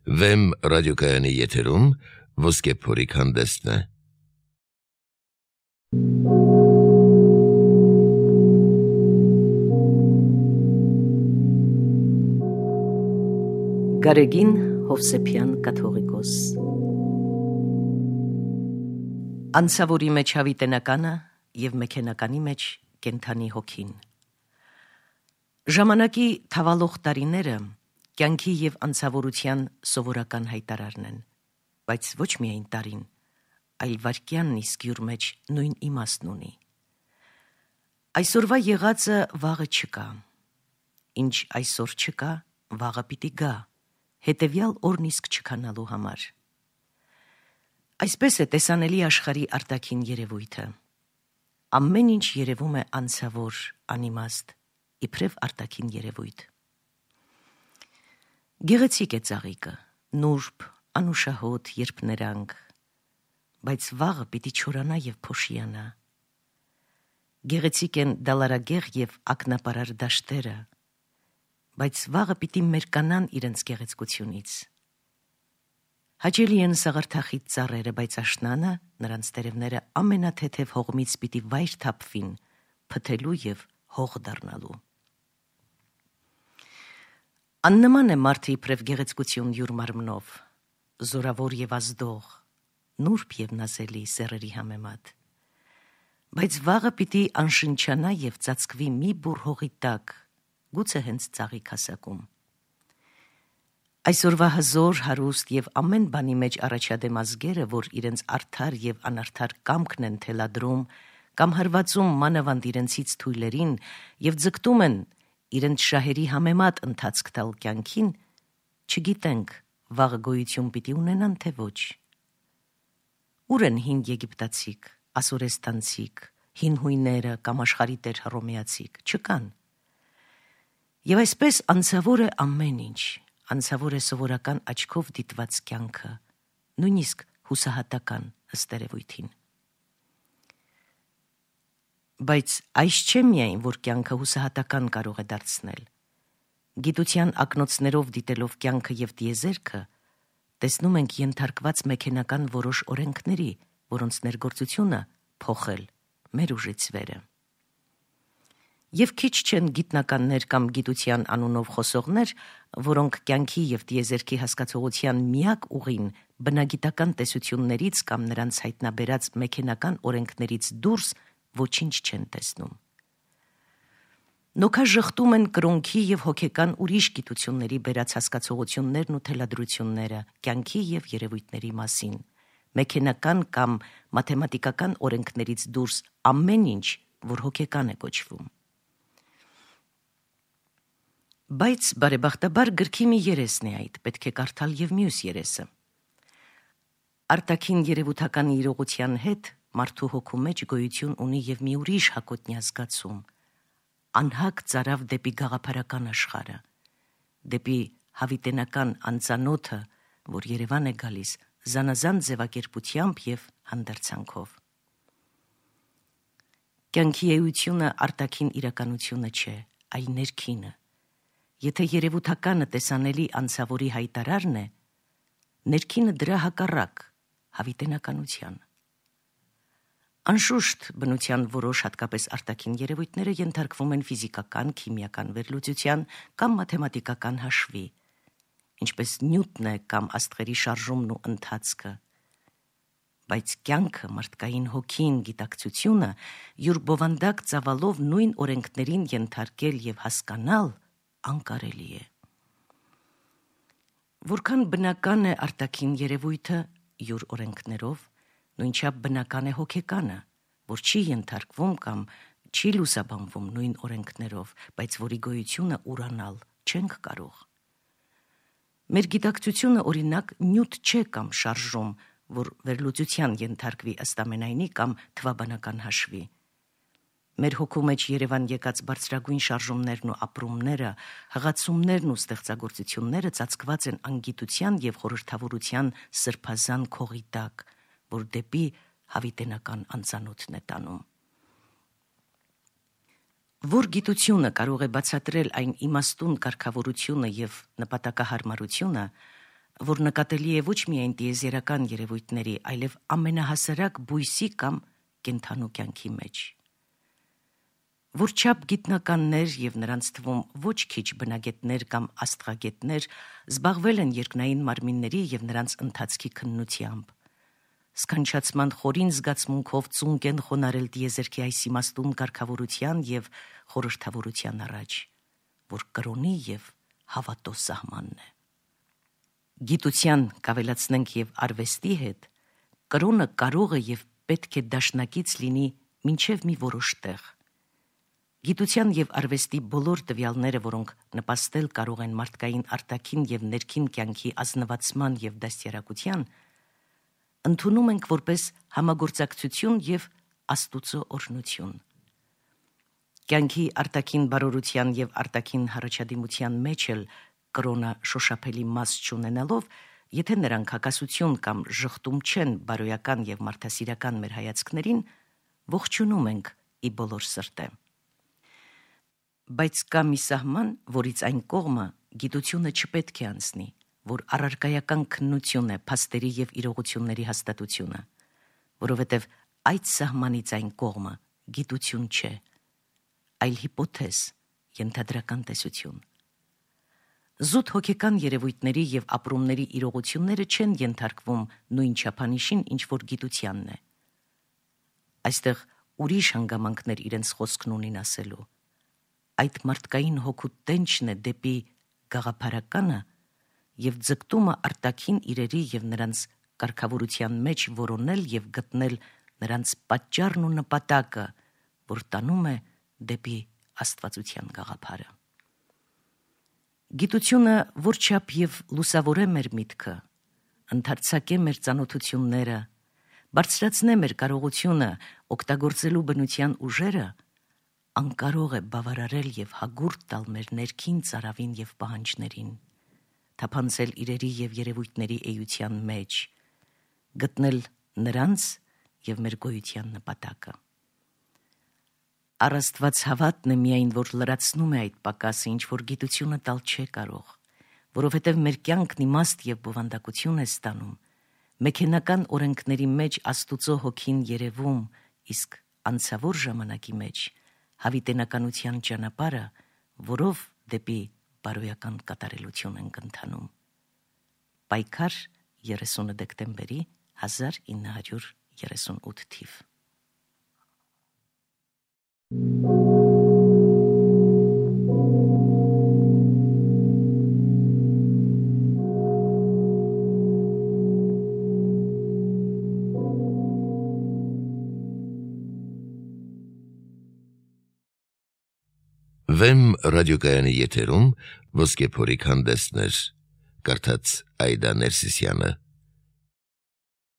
Վեմ ռադիոկայանի եթերում ոսկե փորիկ հանդեսն է։ Գարեգին Հովսեփյան կաթողիկոս Անցավորի մեջ հավիտենականը և մեքենականի մեջ կենդանի հոգին։ Ժամանակի թավալող տարիները կյանքի և անցավորության սովորական հայտարարն են, բայց ոչ միայն տարին, այլ վայրկյանն իսկ յուր մեջ նույն իմաստն ունի։ Այսօրվա եղածը վաղը չկա, ինչ այսօր չկա, վաղը պիտի գա, հետևյալ օրն իսկ չքանալու համար։ Այսպես է տեսանելի աշխարհի արտաքին երևույթը։ Ամեն ինչ երևում է անցավոր, անիմաստ, իբրև արտաքին երևույթ։ Գեղեցիկ է ծաղիկը, նուրբ, անուշահոտ, երբ ներանք, բայց վաղը պիտի չորանա և փոշիանա։ Գեղեցիկ են դալարագեղ և ակնապարար դաշտերը, բայց վաղը պիտի մերկանան իրենց գեղեցկությունից։ Հաճելի են սաղարթախիտ ծառերը, բայց աշնանը նրանց տերևները ամենաթեթև հողմից պիտի վայր թափվին, փթելու և հող դառնալու։ Աննման է մարդը իբրև գեղեցկություն յուր մարմնով, զորավոր և ազդող, նուրբ և նազելի սեռերի համեմատ, բայց վաղը պիտի անշնչանա և ծածկվի մի բուռ հողի տակ, գուցե հենց ծաղիկ հասակում։ Այսօրվա հզոր, հարուստ և ամեն բանի մեջ առաջադեմ ազգերը, որ իրենց արդար և անարդար կամքն են թելադրում կամ հրվածում մանավանդ իրենցից թույլերին և ձգտում են իրենց շահերի համեմատ ընթացք տալ կյանքին, չգիտենք վաղը գոյություն պիտի ունենան, թե ոչ։ Ուր են հին եգիպտացիք, ասորեստանցիք, հին հույները կամ աշխարհի տեր հռոմեացիք, չկան։ Եվ այսպես անցավոր է ամեն ինչ, անցավոր է սովորական աչքով դիտված կյանքը, նույնիսկ հուսահատական ըստ երևույթին։ Բայց այս չէ միայն, որ կյանքը հուսահատական կարող է դարձնել։ Գիտության ակնոցներով դիտելով կյանքը և տիեզերքը, տեսնում ենք ենթարկված մեքենական որոշ օրենքների, որոնց ներգործությունը փոխել մեր ուժից վերը։ Եվ քիչ չեն գիտնականներ կամ գիտության անունով խոսողներ, որոնք կյանքի և տիեզերքի հասկացողության միակ ուղին բնագիտական տեսություններից կամ նրանց հայտնաբերած մեքենական օրենքներից դուրս ոչինչ չեն տեսնում։ Նոքաժխտում են կրոնքի և հոգեկան ուրիշ գիտությունների բերած հասկացողություններն ու թելադրությունները կյանքի և երևույթների մասին, մեքենական կամ մաթեմատիկական օրենքներից դուրս ամեն ինչ, որ հոգեկան է կոչվում։ Բայց բարեբախտաբար գրքի մի երեսն է այդ, պետք է կարդալ և մյուս երեսը։ Արտաքին երևութական իրողության հետ մարդու հոգու մեջ գոյություն ունի և մի ուրիշ հակոտնյա զգացում, անհագ ծարավ դեպի գաղափարական աշխարհը, դեպի հավիտենական անծանոթը, որ Երևան է գալիս զանազան ձևակերպությամբ և հանդերձանքով։ Կյանքի էությունը արտաքին իրականությունը չէ, այլ ներքինը։ Եթե երևութականը տեսանելի անցավորի հայտարարն է, ներքինը դրա հակառակ, հավիտենականության։ Անշուշտ բնության որոշ հատկապես արտաքին երևույթները ենթարկվում են ֆիզիկական, քիմիական վերլուծության կամ մաթեմատիկական հաշվի, ինչպես նյութն է կամ աստղերի շարժումն ու ընթացքը, բայց կյանքը, մարդկային հոգին, գիտակցությունը յուր բովանդակ ծավալով նույն օրենքներին ենթարկել և հասկանալ անկարելի է։ Որքան բնական է արտաքին երևույթը յուր օրենքներով, նույնչափ բնական է հոգեկանը, որ չի ենթարկվում կամ չի լուսաբանվում նույն օրենքներով, բայց որի գոյությունը ուրանալ չենք կարող։ Մեր գիտակցությունը օրինակ նյութ չէ կամ շարժում, որ վերլուծության ենթարկվի ըստ ամենայնի կամ թվաբանական հաշվի։ Մեր հոգու մեջ Երևան եկած բարձրագույն շարժումներն ու ապրումները, հղացումներն ու ստեղծագործությունները ծածկված են անգիտության և խորհրդավորության սրբազան քողի տակ, որ դեպի հավիտենական անծանոթն է տանում։ Որ գիտությունը կարող է բացատրել այն իմաստուն կարգավորությունը և նպատակահարմարությունը, որ նկատելի է ոչ միայն տիեզերական երևույթների, այլև ամենահասարակ բույսի կամ կենդանու կյանքի մեջ։ Որչափ գիտնականներ եւ նրանց թվում ոչ քիչ բնագետներ կամ աստղագետներ զբաղվել են երկնային մարմինների եւ նրանց ընթացքի քննությամբ։ Սքանչացման խորին զգացմունքով ծունկ են խոնարել տիեզերքի այս իմաստուն կարգավորության եւ խորհրդավորության առաջ, որ կրոնի եւ հավատո սահմանն է։ Գիտության կավելացնենք եւ արվեստի հետ, կրոնը կարող է եւ պետք է դաշնակից լինի մինչեւ մի որոշ տեղ։ Գիտության եւ արվեստի բոլոր տվյալները, որոնք նպաստել կարող են մարդկային արտաքին եւ ներքին կյանքի ազնվացման եւ դաստիարակության, ընդունում ենք որպես համագործակցություն եւ Աստուծո օրհնություն։ Կյանքի արտաքին բարօրության եւ արտաքին հարաճադիմության մեջ էլ կրոնը շոշափելի մաս չունենալով, եթե նրանք հակասություն կամ ժխտում չեն բարոյական եւ մարդասիրական մեր հայացքներին, ողջունում ենք ի բոլոր սրտե։ Բայց կա մի սահման, որից այն կողմը գիտությունը չպետք է անցնի, որ առարկայական քննություն է փաստերի եւ իրողությունների հաստատությունը, որովհետեւ այդ սահմանից այն կողմը գիտություն չէ, այլ հիպոթեզ, ենթադրական տեսություն։ Զուտ հոգեկան երևույթների եւ ապրումների իրողությունները չեն ենթարկվում նույն չափանիշին, ինչ որ գիտությանն է։ Այստեղ ուրիշ հանգամանքներ իրենց խոսքն ունին ասելու։ Այդ մարդկային հոգու տենչն է դեպի գաղափարականը եւ ձգտումը արտաքին իրերի եւ նրանց կարգավորության մեջ որոնել եւ գտնել նրանց պատճառն ու նպատակը, որ տանում է դեպի աստվածության գաղափարը։ Գիտությունը որչափ եւ լուսավորե մեր միտքը, ընդարձակե մեր ծանոթությունները, բարձրացնե մեր կարողությունը օգտագործելու բնության ուժերը, անկարող է բավարարել եւ հագուրդ տալ մեր ներքին ծարավին եւ պահանջներին, թափանցել իրերի եւ երևույթների էության մեջ, գտնել նրանց եւ մեր գոյության նպատակը։ Առաստված հավատն է միայն, որ լրացնում է այդ պակասը, ինչ որ գիտությունը տալ չէ կարող, որովհետև մեր կյանքն իմաստ եւ բովանդակություն է ստանում, մեքենական օրենքների մեջ Աստուծո հոգին երևում, իսկ անցավոր ժամանակի մեջ հավիտենականության ճանապարհը, որով դեպի բարոյական կատարելություն ենք ընթանում։ Պայքար 30 դեկտեմբերի 1938 թիվ։ Վեմ ռադիոկայանի եթերում ոսկե փորիկ հանդեսներ, կարդաց Այդա Ներսիսյանը։